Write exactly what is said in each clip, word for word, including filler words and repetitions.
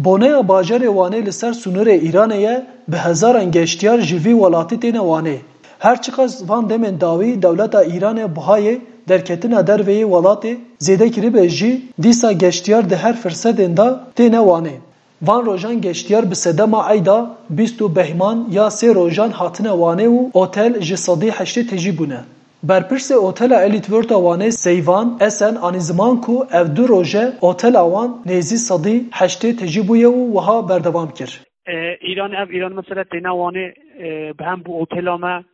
Boneya bajarê Wanê li ser sînorê Îranê ye, bi hezaran geştiyar ji vî welatî têne Wanê. Her çiqas van demên dawî dewleta Îranê buhayê derketina derveyê welatê zêde kiribe jî, dîsa geştiyar di her firsetên de têne Wanê. Van rojan geştiyar bi sedema eyda bîst û behman ya sê rojan hatine Wanê û otel ji sedî heştê tejî bûne. Berpirsê otela Elite World a Wanê Seyvan Esen anî ziman ku ev du roje otela wan nêzî sedî heştê tejî bûye û wiha berdewam kir. E, Îran, ev Îran mesela têne Wanê, e, hem bu otela me,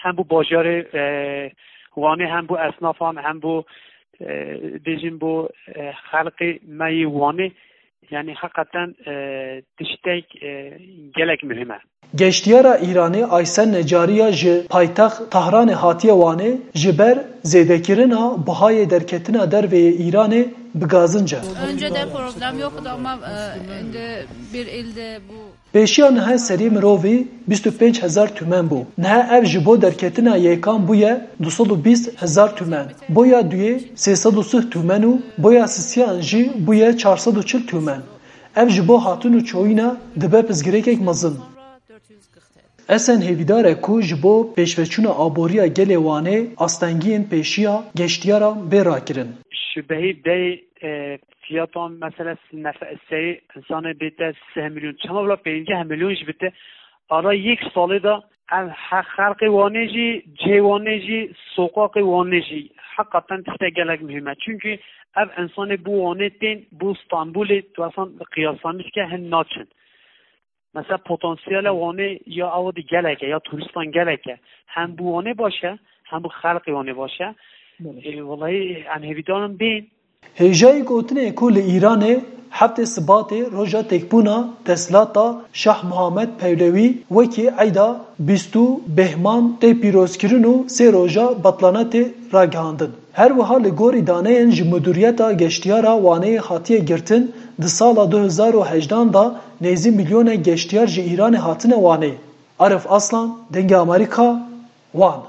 hem bu bajarê, e, Wanê, hem bu esnafan, hem bu, e, bêjin bu, e, xelqê me yê Wanê, yani hakikaten, e, tiştek, e, gelek mühim e. Geştiyara Îranê Aysen Necariya ji paytext Tahranê hatiye Wanê, ji ber zêdekirina buhayê derketina derveyê Îranê bi gazinc e. Önceden problem yoktu ama, e, şimdi bir ilde bu Pêşiya niha serî mirovî bîst û pênc hezar tûmen bû. Niha ev ji bo derketina yekan bûye du sed û bîst hezar tûmen. Boya duyê sê sed û sih tûmen û boya sisiyan jî bûye çar sed û çil tûmen. Ev ji bo hatin û çoyîna dibe pirsgirêkek mezin. Esen hêvîdar e ku ji bo pêşveçûna aboriya gelê Wanê astengiyên pêşiya geştiyaran bê rakirin. Şubehî bey, e, fiyatan mesela nefe-, sey insanê bête sih milyon, çema bila pêncî milyon jî bite, ara yek salê de ev he-, xelqê Wanê jî, cihê Wanê jî, soqaqê Wanê jî, heqaten tiştek gelek muhîm e. Çünkü ev insanê bu Wanê tên, bu Stenbolê, tu esan qiyaslamiş ke hin naçin. Mesela potansiyele Wanê ya ew di gelek e, ya turistan gelek e. Hem bu Wanê baş e, hem bu xelqê Wanê baş e. Belê. E, wellahî em hêvîdarin bên. Hêjayî gotinê ku li Îranê heftê Sibatê roja têkbûna desthilata Şah Muhammed Pehlewi wekî eyda bîst û bêhman tê pîrozkirin û sê roja betlanetê ragihandin. Her wiha li gorî daneyên ji Mudûriyeta Geştiyara Waneyê hatiye girtin, di sala du hezar û hejdan de nêzî milyonek geştiyar ji Îranê hatine Wanê. Arif Aslan, Dengê Amerîka, Wan.